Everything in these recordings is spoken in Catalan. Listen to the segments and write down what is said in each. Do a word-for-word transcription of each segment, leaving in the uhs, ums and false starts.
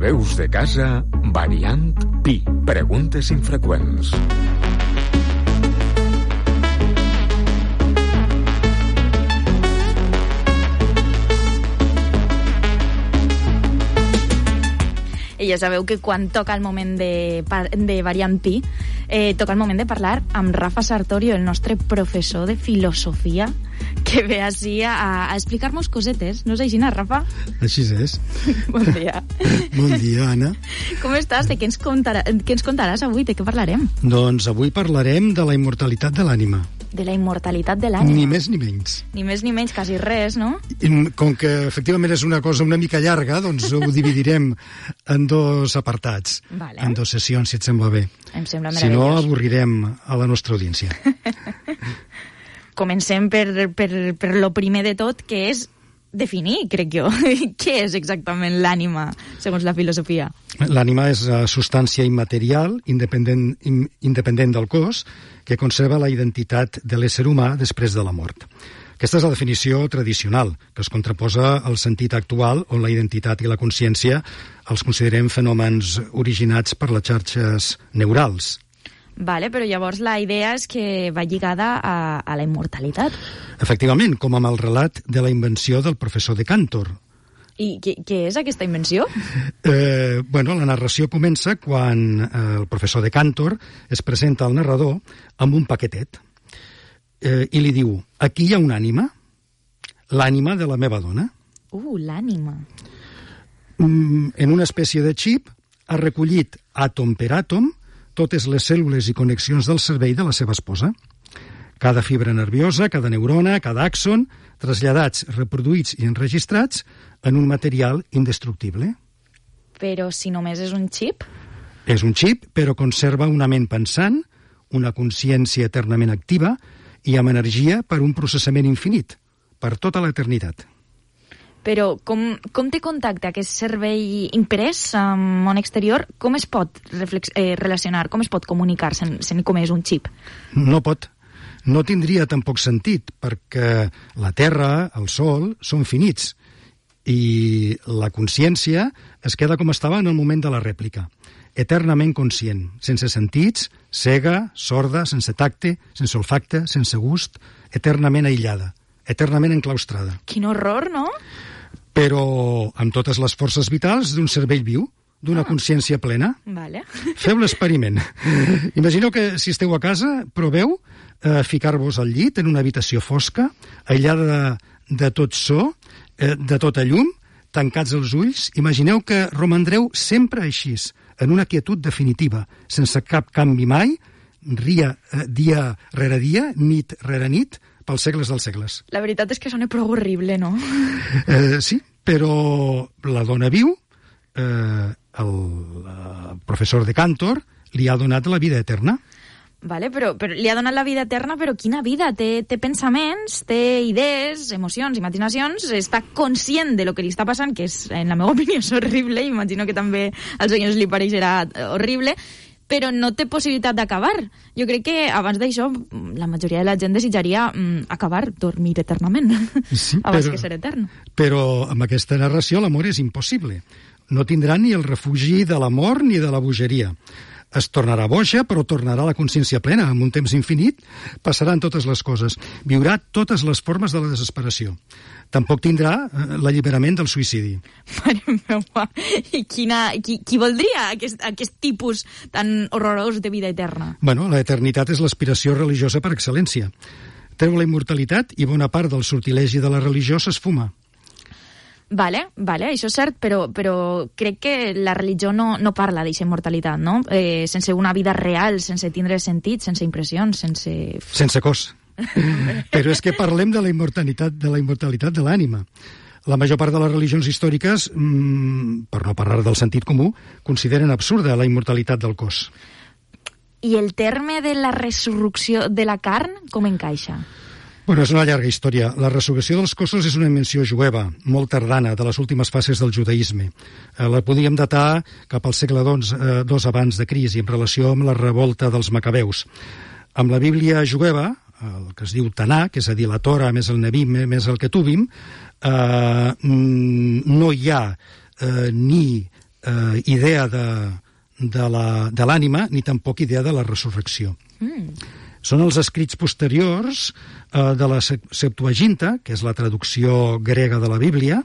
Veus de casa, variant Pi. Preguntes infreqüents. I ja sabeu que quan toca el moment de, de Variant Pi, eh, toca el moment de parlar amb Rafa Sartorio, el nostre professor de filosofia, que ve així a, a explicar-nos cosetes. No és així, no, Rafa? Així és. Bon dia. Bon dia, Anna. Com estàs? De què ens, contarà, què ens contaràs avui? De què parlarem? Doncs avui parlarem de la immortalitat de l'ànima. De la immortalitat de l'ànima. Ni més ni menys. Ni més ni menys, quasi res, no? I com que efectivament és una cosa una mica llarga, doncs ho dividirem en dos apartats, vale. En dues sessions, si et sembla bé. Em sembla meravellós. Si no, avorrirem a la nostra audiència. Comencem per, per, per lo primer de tot, que és definir, crec jo, què és exactament l'ànima, segons la filosofia. L'ànima és la substància immaterial, independent, independent del cos, que conserva la identitat de l'ésser humà després de la mort. Aquesta és la definició tradicional, que es contraposa al sentit actual, on la identitat i la consciència els considerem fenòmens originats per les xarxes neurals. Vale, però llavors la idea és que va lligada a, a la immortalitat. Efectivament, com amb el relat de la invenció del professor de Cantor. I què, què és aquesta invenció? Eh, bueno, la narració comença quan eh, el professor de Cantor es presenta al narrador amb un paquetet eh, i li diu: aquí hi ha una ànima, l'ànima de la meva dona. Uh, l'ànima. Mm, en una espècie de xip ha recollit àtom per àtom totes les cèl·lules i connexions del cervell de la seva esposa. Cada fibra nerviosa, cada neurona, cada àxon, traslladats, reproduïts i enregistrats en un material indestructible. Però si només és un xip? És un xip, però conserva una ment pensant, una consciència eternament activa i amb energia per un processament infinit, per tota l'eternitat. Però com, com té contacte aquest cervell imprès amb el món exterior? Com es pot reflex, eh, relacionar? Com es pot comunicar sent, sent com és un xip? No pot. No tindria tampoc sentit, perquè la Terra, el Sol, són finits i la consciència es queda com estava en el moment de la rèplica, eternament conscient, sense sentits, cega, sorda, sense tacte, sense olfacte, sense gust, eternament aïllada, eternament enclaustrada. Quin horror, no? Però amb totes les forces vitals d'un cervell viu, d'una ah. consciència plena. Vale. Feu l'experiment. Imagineu que si esteu a casa, proveu eh, ficar-vos al llit en una habitació fosca, aïllada de, de tot so, eh, de tota llum, tancats els ulls. Imagineu que romandreu sempre així, en una quietud definitiva, sense cap canvi mai, ria, eh, dia rere dia, nit rere nit, pels segles dels segles. La veritat és que sona prou horrible, no? Eh, sí, però la dona viu, eh, el, el professor de Cantor li ha donat la vida eterna. Vale, però, però li ha donat la vida eterna, però quina vida? Té, té pensaments, té idees, emocions, imaginacions, està conscient de lo que li està passant, que és, en la meva opinió és horrible, imagino que també als oients li pareixerà horrible, però no té possibilitat d'acabar. Jo crec que abans d'això la majoria de la gent desitjaria mm, acabar, dormir eternament, sí, abans però, que ser etern. Però amb aquesta narració l'amor és impossible. No tindrà ni el refugi de l'amor ni de la bogeria. Es tornarà boja, però tornarà a la consciència plena. En un temps infinit passaran totes les coses. Viurà totes les formes de la desesperació. Tampoc tindrà eh, l'alliberament del suïcidi. Mare meva, i quina, qui, qui voldria aquest, aquest tipus tan horrorós de vida eterna? Bueno, la eternitat és l'aspiració religiosa per excel·lència. Treu la immortalitat i bona part del sortilegi de la religió s'esfuma. Vale, vale, això és cert, però, però crec que la religió no, no parla d'aquesta immortalitat, no? Eh, sense una vida real, sense tindre sentit, sense impressions, sense... Sense cos. Però és que parlem de la immortalitat de la immortalitat de l'ànima. La major part de les religions històriques, mmm, per no parlar del sentit comú, consideren absurda la immortalitat del cos. I el terme de la resurrecció de la carn, com encaixa? Bueno, és una llarga història. La resurrecció dels cossos és una invenció jueva, molt tardana, de les últimes fases del judaïsme. Eh, la podíem datar cap al segle dos, eh, dos abans de Crist, en relació amb la revolta dels macabeus. Amb la Bíblia jueva, el que es diu Tanakh, és a dir, la Torah més el Nevim més el Ketuvim, eh, no hi ha eh, ni eh, idea de, de la- de l'ànima ni tampoc idea de la resurrecció. Mm. Són els escrits posteriors eh, de la Se- Septuaginta, que és la traducció grega de la Bíblia,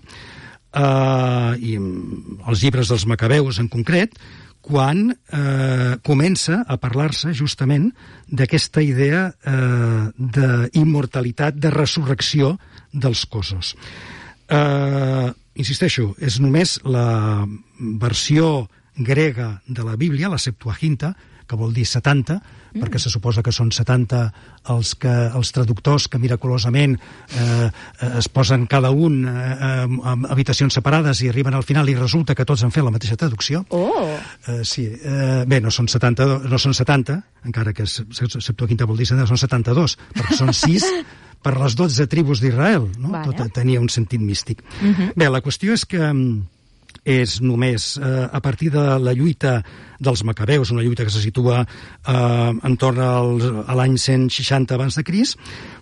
eh, i mm, els llibres dels Macabeus en concret, quan eh, comença a parlar-se justament d'aquesta idea eh, d'immortalitat, de resurrecció dels cossos. Eh, insisteixo, és només la versió grega de la Bíblia, la Septuaginta, que vol dir setanta, mm. perquè se suposa que són setanta els, que, els traductors que miraculosament eh, es posen cada un eh, en habitacions separades i arriben al final i resulta que tots han fet la mateixa traducció. Oh! Eh, sí, eh, bé, no són setanta, no són setanta, encara que Septuaginta vol dir setanta, són setanta-dos, perquè són sis per les dotze tribus d'Israel, no? Vale. Tot tenia un sentit místic. Mhm. Bé, la qüestió és que mm, és només eh, a partir de la lluita dels Macabeus, una lluita que se situa eh, entorn al, a l'any cent seixanta abans de Crist,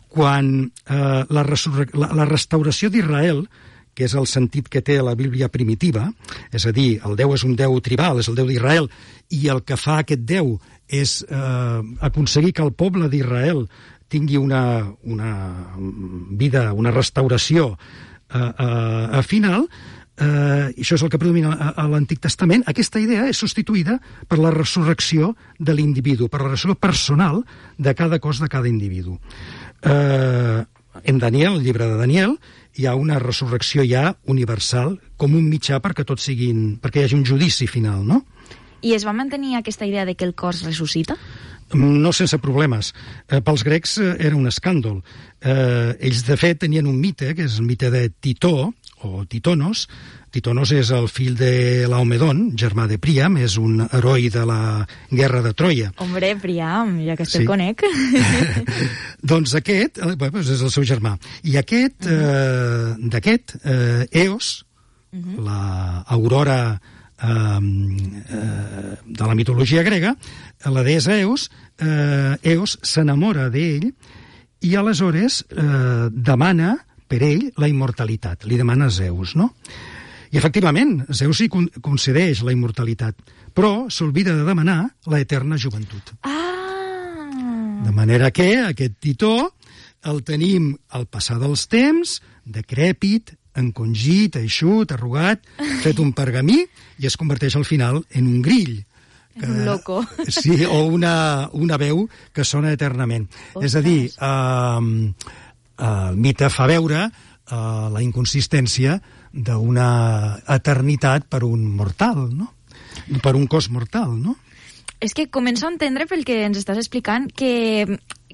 quan eh, la, resurre- la, la restauració d'Israel, que és el sentit que té la Bíblia primitiva, és a dir, el Déu és un Déu tribal, és el Déu d'Israel, i el que fa aquest Déu és eh, aconseguir que el poble d'Israel tingui una, una vida, una restauració eh, eh, a final. Eh, això és el que predomina a, a l'Antic Testament. Aquesta idea és substituïda per la resurrecció de l'individu, per la resurrecció personal de cada cos de cada individu. Eh, en Daniel, el llibre de Daniel, hi ha una resurrecció ja universal com un mitjà perquè tots siguin, perquè hi hagi un judici final, no? I es va mantenir aquesta idea de que el cos ressuscita? No sense problemes. Eh, pels grecs eh, era un escàndol. Eh, ells, de fet, tenien un mite, que és el mite de Titó, o Titonos. Titonos és el fill de Laomedon, germà de Príam, és un heroi de la guerra de Troia. Hombre, Príam, ja que Sí. te'l conec. Doncs aquest, eh, bé, doncs és el seu germà. I aquest, eh, d'aquest, eh, Eos, la aurora eh, eh, de la mitologia grega, la deessa Eos, eh, Eos s'enamora d'ell i aleshores eh, demana per ell la immortalitat. Li demana a Zeus, no? I efectivament, Zeus hi con- concedeix la immortalitat, però s'olvida de demanar la eterna joventut. Ah! De manera que aquest Titó el tenim al passar dels temps, decrèpit, encongit, eixut, arrugat, fet un pergamí, i es converteix al final en un grill. Un loco. Sí, o una, una veu que sona eternament. Ostres. És a dir, eh, el mite fa veure eh, la inconsistència d'una eternitat per un mortal, no? Per un cos mortal, no? És que començo a entendre pel que ens estàs explicant que,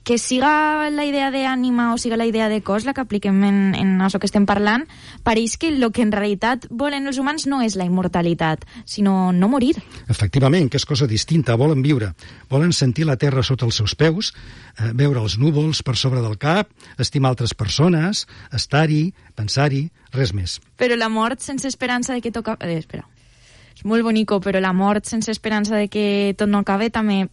que siga la idea d'ànima o siga la idea de cos la que apliquem en, en això que estem parlant, pareix que el que en realitat volen els humans no és la immortalitat, sinó no morir. Efectivament, que és cosa distinta. Volen viure, volen sentir la terra sota els seus peus, eh, veure els núvols per sobre del cap, estimar altres persones, estar-hi, pensar-hi, res més. Però la mort sense esperança de que toca... Eh, espera. És molt bonico, però la mort sense esperança de que tot no acabe també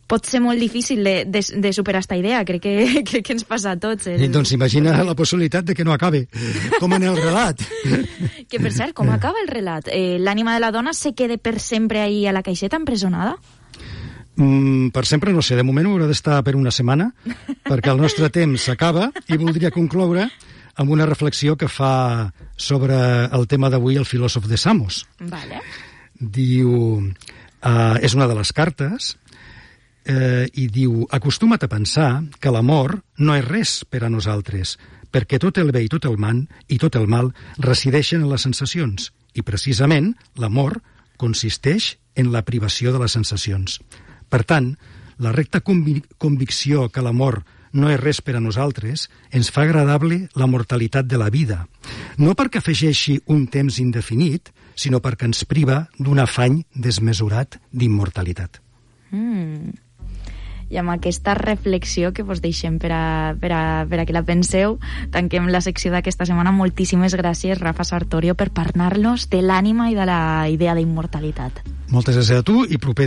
pot ser molt difícil de, de, de superar aquesta idea. Crec que, crec que ens passa a tots. El... I doncs imagina la possibilitat de que no acabe, com en el relat. Que, per cert, com acaba el relat? Eh, l'ànima de la dona se queda per sempre ahí a la caixeta empresonada? Mm, per sempre no sé, de moment haurà d'estar per una setmana, perquè el nostre temps s'acaba i voldria concloure amb una reflexió que fa sobre el tema d'avui el filòsof de Samos. Vale. Diu, eh, és una de les cartes, eh, i diu, acostuma't a pensar que l'amor no és res per a nosaltres, perquè tot el bé i tot el mal i tot el mal resideixen en les sensacions, i precisament l'amor consisteix en la privació de les sensacions. Per tant, la recta convic convicció que l'amor no és res per a nosaltres, ens fa agradable la mortalitat de la vida. No perquè afegeixi un temps indefinit, sinó perquè ens priva d'un afany desmesurat d'immortalitat. Mm. I amb aquesta reflexió que vos deixem per a, per a, per a que la penseu, tanquem la secció d'aquesta setmana. Moltíssimes gràcies, Rafa Sartorio, per parlar-nos de l'ànima i de la idea d'immortalitat. Moltes gràcies a tu i proper